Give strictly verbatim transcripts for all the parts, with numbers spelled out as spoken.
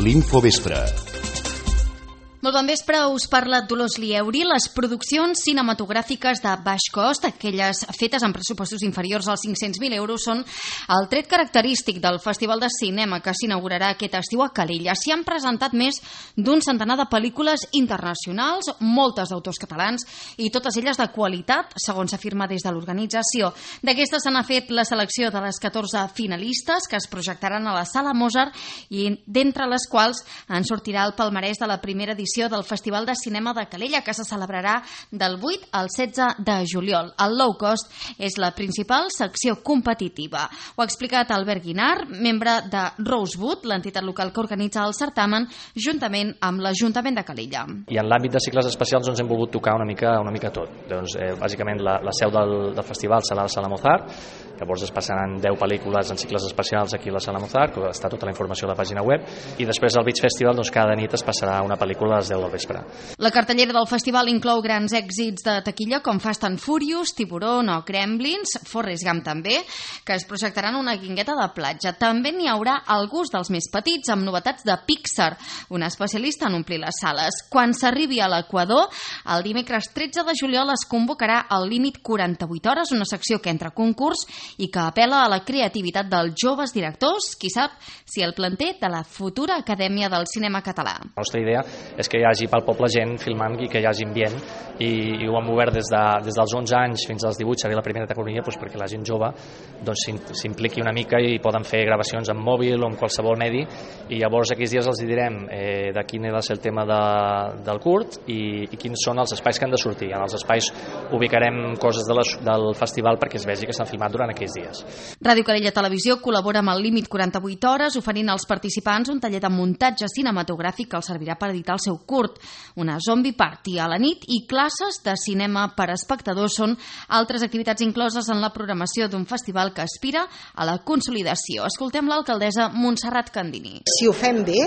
L'Infovespre. Molt bon vespre, us parla Dolors Lieuri. Les produccions cinematogràfiques de baix cost, aquelles fetes amb pressupostos inferiors als cinc-cents mil euros, són el tret característic del Festival de Cinema que s'inaugurarà aquest estiu a Calella. S'hi han presentat més d'un centenar de pel·lícules internacionals, moltes d'autors catalans i totes elles de qualitat, segons s'afirma des de l'organització. D'aquestes se n'ha fet la selecció de les catorze finalistes que es projectaran a la Sala Mozart i d'entre les quals en sortirà el palmarès de la primera edició del Festival de Cinema de Calella, que se celebrarà del vuit al setze de juliol. El low cost és la principal secció competitiva. Ho ha explicat Albert Guinart, membre de Rosewood, l'entitat local que organitza el certamen, juntament amb l'Ajuntament de Calella. I en l'àmbit de cicles especials doncs, hem volgut tocar una mica, una mica tot. Doncs, eh, bàsicament la, la seu del, del festival serà la Sala Mozart, llavors es passaran deu pel·lícules en cicles especials aquí a la Sala Mozart, que està tota la informació a la pàgina web, i després al Beach Festival doncs, cada nit es passarà una pel·lícula a les deu del vespre. La cartellera del festival inclou grans èxits de taquilla com Fast and Furious, Tiburón o Gremlins, Forrest Gump també, que es projectaran una guingueta de platja. També n'hi haurà alguns dels més petits amb novetats de Pixar, un especialista en omplir les sales. Quan s'arribi a l'Equador, el dimecres tretze de juliol es convocarà el límit quaranta-vuit hores, una secció que entra a concurs i que apel·la a la creativitat dels joves directors, qui sap si el planter de la futura Acadèmia del Cinema Català. La nostra idea és que hi hagi pel poble gent filmant i que hi hagi ambient, i, i ho hem obert des, de, des dels onze anys fins als divuit, seria la primera categoria, doncs perquè la gent jove doncs, s'impliqui una mica i poden fer gravacions amb mòbil o amb qualsevol medi, i llavors aquells dies els direm eh, de quin ha de ser el tema de, del curt i, i quins són els espais que han de sortir. En els espais ubicarem coses de la, del festival perquè es vegi que s'han filmat durant aquells dies. Ràdio Calella Televisió col·labora amb el límit quaranta-vuit hores, oferint als participants un taller de muntatge cinematogràfic que els servirà per editar el seu curt, una zombie party a la nit i classes de cinema per a espectadors són altres activitats incloses en la programació d'un festival que aspira a la consolidació. Escoltem l'alcaldessa Montserrat Candini. Si ho fem bé,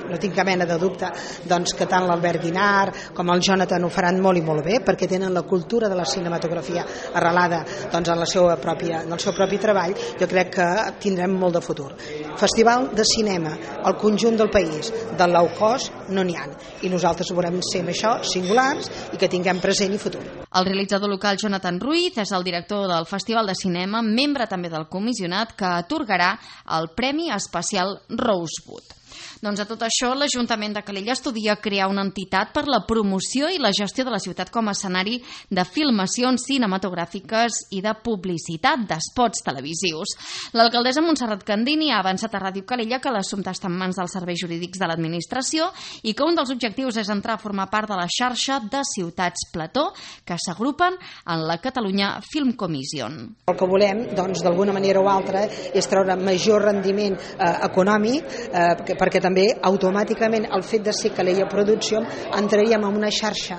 no tinc cap mena de dubte, doncs que tant l'Albert Guinart com el Jonathan ho faran molt i molt bé, perquè tenen la cultura de la cinematografia arrelada doncs, en, la seva pròpia, en el seu propi treball. Jo crec que tindrem molt de futur. Festival de cinema, al conjunt del país, del low cost, no n'hi ha. I nosaltres volem ser amb això singulars i que tinguem present i futur. El realitzador local Jonathan Ruiz és el director del Festival de Cinema, membre també del comissionat que atorgarà el Premi Especial Rosewood. Doncs a tot això, l'Ajuntament de Calella estudia crear una entitat per la promoció i la gestió de la ciutat com a escenari de filmacions cinematogràfiques i de publicitat d'espots televisius. L'alcaldessa Montserrat Candini ha avançat a Ràdio Calella que l'assumpte està en mans dels serveis jurídics de l'administració i que un dels objectius és entrar a formar part de la xarxa de ciutats plató que s'agrupen en la Catalunya Film Commission. El que volem, doncs, d'alguna manera o altra, és treure major rendiment eh, econòmic, eh, perquè també automàticament el fet de ser Calella Producció entraríem en una xarxa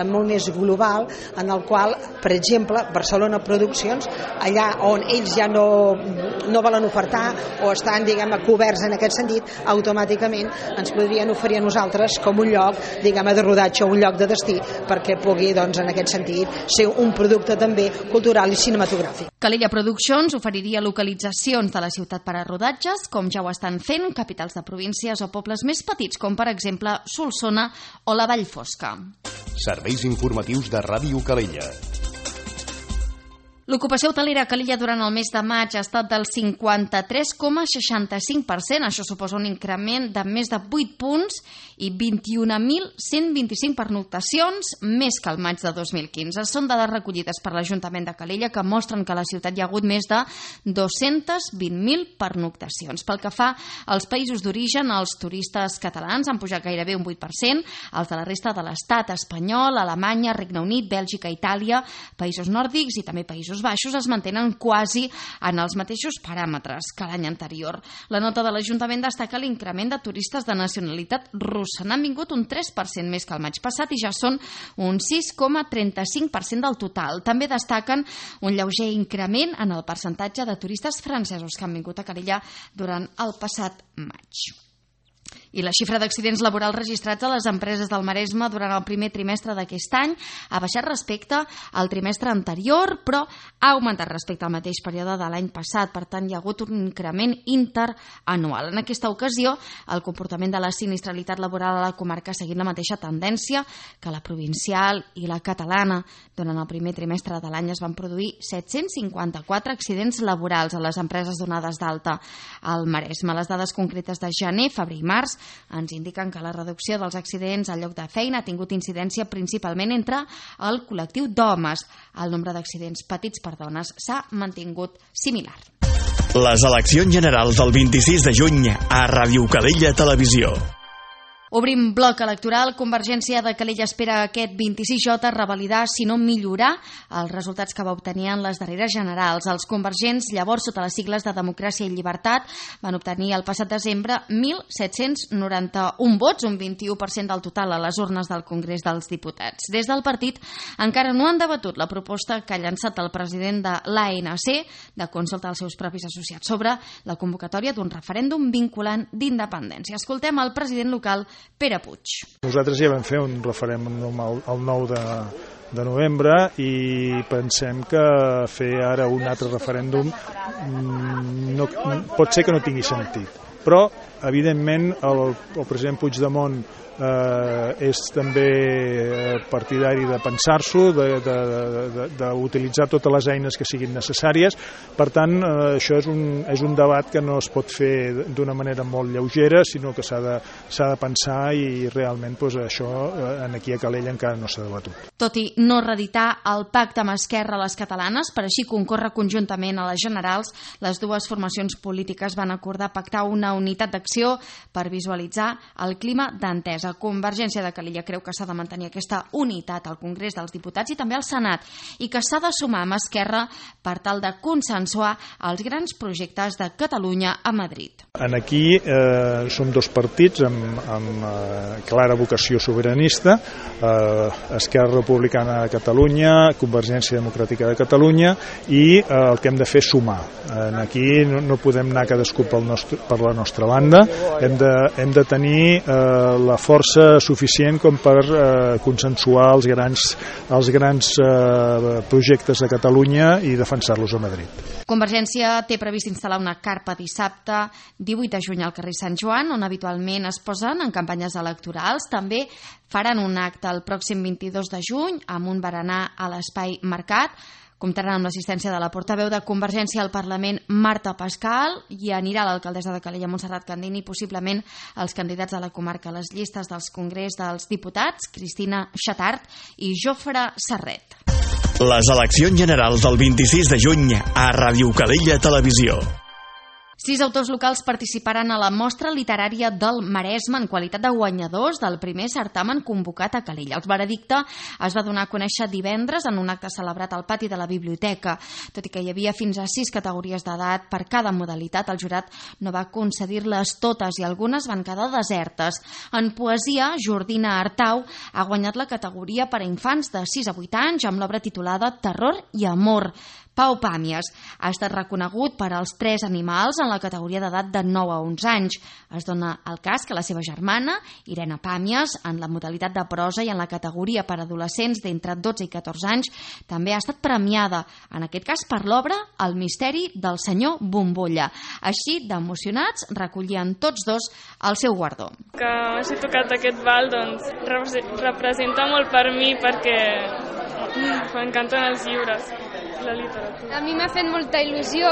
molt més global en el qual, per exemple, Barcelona Produccions, allà on ells ja no, no volen ofertar o estan, diguem, coberts en aquest sentit, automàticament ens podrien oferir a nosaltres com un lloc, diguem, de rodatge o un lloc de destí perquè pugui, doncs, en aquest sentit, ser un producte també cultural i cinematogràfic. Calella Productions oferiria localitzacions de la ciutat per a rodatges, com ja ho estan fent capitals de províncies o pobles més petits, com per exemple Solsona o la Vall Fosca. Serveis informatius de Ràdio Calella. L'ocupació hotelera a Calella durant el mes de maig ha estat del cinquanta-tres coma seixanta-cinc per cent. Això suposa un increment de més de vuit punts i vint-i-un mil cent vint-i-cinc pernoctacions, més que el maig de dos mil quinze. Són dades recollides per l'Ajuntament de Calella que mostren que a la ciutat hi ha hagut més de dos-cents vint mil pernoctacions. Pel que fa als països d'origen, els turistes catalans han pujat gairebé un vuit per cent, els de la resta de l'estat espanyol, Alemanya, Regne Unit, Bèlgica, Itàlia, països nòrdics i també països baixos es mantenen quasi en els mateixos paràmetres que l'any anterior. La nota de l'Ajuntament destaca l'increment de turistes de nacionalitat russa. N'han vingut un tres per cent més que el maig passat i ja són un sis coma trenta-cinc per cent del total. També destaquen un lleuger increment en el percentatge de turistes francesos que han vingut a Calella durant el passat maig. I la xifra d'accidents laborals registrats a les empreses del Maresme durant el primer trimestre d'aquest any ha baixat respecte al trimestre anterior, però ha augmentat respecte al mateix període de l'any passat. Per tant, hi ha hagut un increment interanual. En aquesta ocasió, el comportament de la sinistralitat laboral a la comarca ha seguit la mateixa tendència que la provincial i la catalana. Durant el primer trimestre de l'any es van produir set-cents cinquanta-quatre accidents laborals a les empreses donades d'alta al Maresme. Les dades concretes de gener, febrer i març ens indiquen que la reducció dels accidents al lloc de feina ha tingut incidència principalment entre el col·lectiu d'homes. El nombre d'accidents patits per dones s'ha mantingut similar. Les eleccions generals del vint-i-sis de juny a Ràdio Calella Televisió. Obrim bloc electoral. Convergència de Calella espera aquest vint-i-sis J revalidar, si no millorar, els resultats que va obtenir en les darreres generals. Els convergents, llavors sota les sigles de Democràcia i Llibertat, van obtenir el passat desembre mil set-cents noranta-un vots, un vint-i-u per cent del total a les urnes del Congrés dels Diputats. Des del partit encara no han debatut la proposta que ha llançat el president de l'A N C de consulta als seus propis associats sobre la convocatòria d'un referèndum vinculant d'independència. Escoltem el president local, Pere Puig. Nosaltres ja vam fer un referèndum el nou de novembre i pensem que fer ara un altre referèndum no, pot ser que no tingui sentit. Però, evidentment, el, el president Puigdemont eh, és també partidari de pensar-s'ho, d'utilitzar totes les eines que siguin necessàries. Per tant, eh, això és un, és un debat que no es pot fer d'una manera molt lleugera, sinó que s'ha de, s'ha de pensar i realment doncs, això eh, aquí a Calella encara no s'ha debatut. Tot i no reeditar el pacte amb Esquerra a les catalanes, per així concórrer conjuntament a les generals, les dues formacions polítiques van acordar pactar una unitat d'acció per visualitzar el clima d'entesa. Convergència de Calella creu que s'ha de mantenir aquesta unitat al Congrés dels Diputats i també al Senat i que s'ha de sumar amb Esquerra per tal de consensuar els grans projectes de Catalunya a Madrid. En aquí eh, som dos partits amb, amb eh, clara vocació sobiranista, eh, Esquerra Republicana de Catalunya, Convergència Democràtica de Catalunya, i eh, el que hem de fer és sumar. Eh, aquí no, no podem anar cadascú pel nostre, per la nostra banda, hem de, hem de tenir eh, la força suficient com per eh, consensuar els grans, els grans eh, projectes de Catalunya i defensar-los a Madrid. Convergència té previst instal·lar una carpa dissabte divuit de juny al carrer Sant Joan, on habitualment es posen en campanyes electorals. També faran un acte el pròxim vint-i-dos de juny amb un berenar a l'Espai Mercat. Comptaran amb l'assistència de la portaveu de Convergència al Parlament, Marta Pascal, i anirà l'alcaldessa de Calella, Montserrat Candini, i possiblement els candidats de la comarca a les llistes dels Congrés dels Diputats, Cristina Xatart i Jofre Serret. Les eleccions generals del vint-i-sis de juny a Ràdio Calella Televisió. Sis autors locals participaran a la mostra literària del Maresme en qualitat de guanyadors del primer certamen convocat a Calella. El veredicte es va donar a conèixer divendres en un acte celebrat al pati de la biblioteca. Tot i que hi havia fins a sis categories d'edat per cada modalitat, el jurat no va concedir-les totes i algunes van quedar desertes. En poesia, Jordina Artau ha guanyat la categoria per a infants de sis a vuit anys amb l'obra titulada Terror i Amor. Pau Pàmies ha estat reconegut per als tres animals en la categoria d'edat de nou a onze anys. Es dona el cas que la seva germana, Irene Pàmies, en la modalitat de prosa i en la categoria per adolescents d'entre dotze i catorze anys, també ha estat premiada, en aquest cas per l'obra El misteri del senyor Bombolla. Així, d'emocionats, recollien tots dos el seu guardó. Que m'hagi tocat aquest val, doncs, representa molt per mi perquè m'encanten els llibres, la literatura. A mi m'ha fet molta il·lusió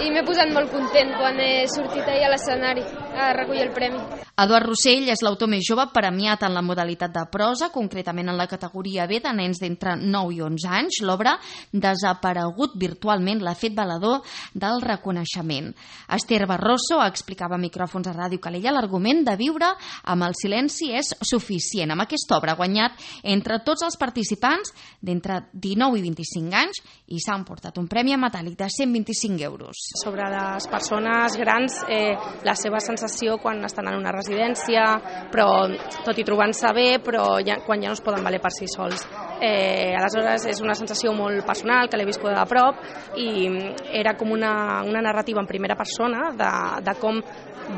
i m'he posat molt content quan he sortit ahir a l'escenari a recollir el premi. Eduard Rossell és l'autor més jove premiat en la modalitat de prosa, concretament en la categoria B de nens d'entre nou i onze anys. L'obra Desaparegut virtualment l'ha fet valedor del reconeixement. Esther Barroso explicava a micròfons a Ràdio Calella l'argument de viure amb el silenci és suficient. Amb aquesta obra ha guanyat entre tots els participants d'entre dinou i vint-i-cinc anys i s'ha emportat un premi metàl·lic de cent vint-i-cinc euros. Sobre les persones grans, eh, la seva sensació quan estan en una residència, però tot i trobant-se bé, però ja, quan ja no es poden valer per si sols. Eh, aleshores és una sensació molt personal, que l'he viscut de prop, i era com una, una narrativa en primera persona de, de com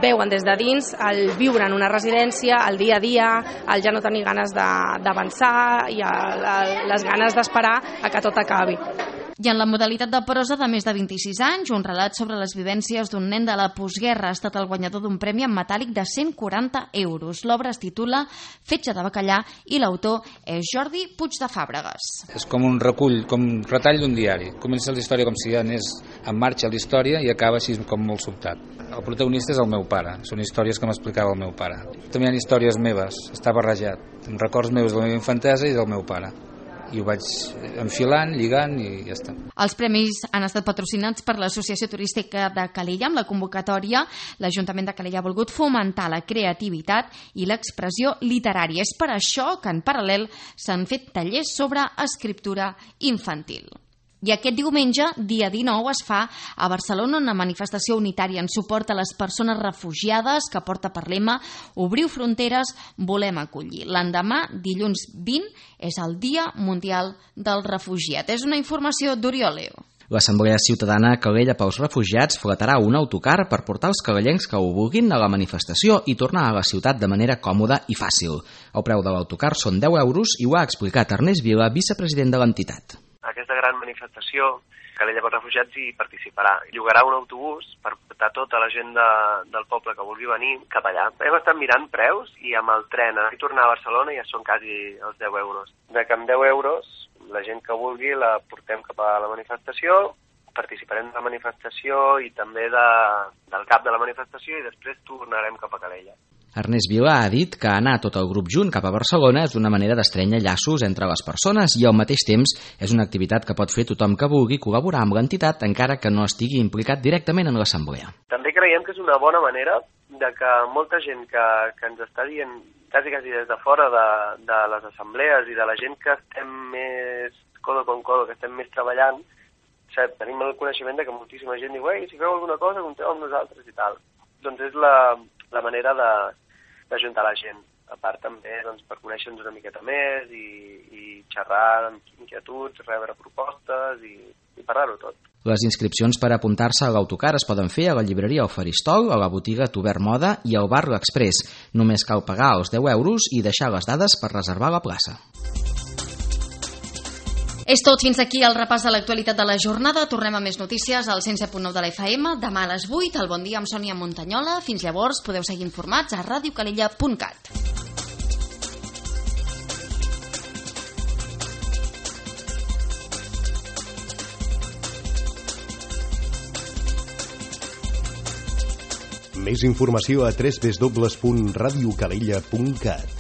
veuen des de dins el viure en una residència, el dia a dia, el ja no tenir ganes d'avançar i el, el, les ganes d'esperar a que tot acabi. I en la modalitat de prosa de més de vint-i-sis anys, un relat sobre les vivències d'un nen de la postguerra ha estat el guanyador d'un premi en metàl·lic de cent quaranta euros. L'obra es titula Fetge de bacallà i l'autor és Jordi Puig de Fàbregas. És com un recull, com un retall d'un diari. Comença la història com si ja anés en marxa la història i acaba així com molt sobtat. El protagonista és el meu pare, són històries que m'explicava el meu pare. També hi ha històries meves, està barrejat, amb records meus de la meva infantesa i del meu pare. I ho vaig enfilant, lligant i ja està. Els premis han estat patrocinats per l'Associació Turística de Calella. Amb la convocatòria, l'Ajuntament de Calella ha volgut fomentar la creativitat i l'expressió literària. És per això que en paral·lel s'han fet tallers sobre escriptura infantil. I aquest diumenge, dia dinou, es fa a Barcelona una manifestació unitària en suport a les persones refugiades que porta per lema Obriu fronteres, volem acollir. L'endemà, dilluns vint, és el Dia Mundial del Refugiat. És una informació d'Oriol Leo. L'Assemblea Ciutadana Calella pels Refugiats fletarà un autocar per portar els calellencs que ho vulguin a la manifestació i tornar a la ciutat de manera còmoda i fàcil. El preu de l'autocar són deu euros i ho ha explicat Ernest Vila, vicepresident de l'entitat. Aquesta gran manifestació, Calella pels Refugiats hi participarà. Llogarà un autobús per portar tota la gent de, del poble que vulgui venir cap allà. Hem estat mirant preus i amb el tren a tornar a Barcelona ja són quasi els deu euros. De que amb deu euros la gent que vulgui la portem cap a la manifestació, participarem de la manifestació i també de, del cap de la manifestació i després tornarem cap a Calella. Ernest Vila ha dit que anar tot el grup junt cap a Barcelona és una manera d'estrènyer llaços entre les persones i al mateix temps és una activitat que pot fer tothom que vulgui col·laborar amb l'entitat encara que no estigui implicat directament en l'assemblea. També creiem que és una bona manera de que molta gent que, que ens està dient quasi, quasi des de fora de, de les assemblees i de la gent que estem més codo con codo, que estem més treballant, saps, tenim el coneixement de que moltíssima gent diu ei, si feu alguna cosa, compteu amb nosaltres i tal. Doncs és la, la manera de d'ajuntar la gent. A part també doncs, per conèixer-nos una miqueta més i, i xerrar amb inquietuds, rebre propostes i, i parlar-ho tot. Les inscripcions per apuntar-se a l'autocar es poden fer a la llibreria El Faristol, a la botiga Tobert Moda i al bar L'Exprés. Només cal pagar els deu euros i deixar les dades per reservar la plaça. És tot, fins aquí el repàs de l'actualitat de la jornada. Tornem a més notícies al cent set punt nou de la F M, demà a les vuit, al Bon Dia amb Sònia Montanyola. Fins llavors podeu seguir informats a radio calella punt cat. Més informació a w w w punt radio calella punt cat.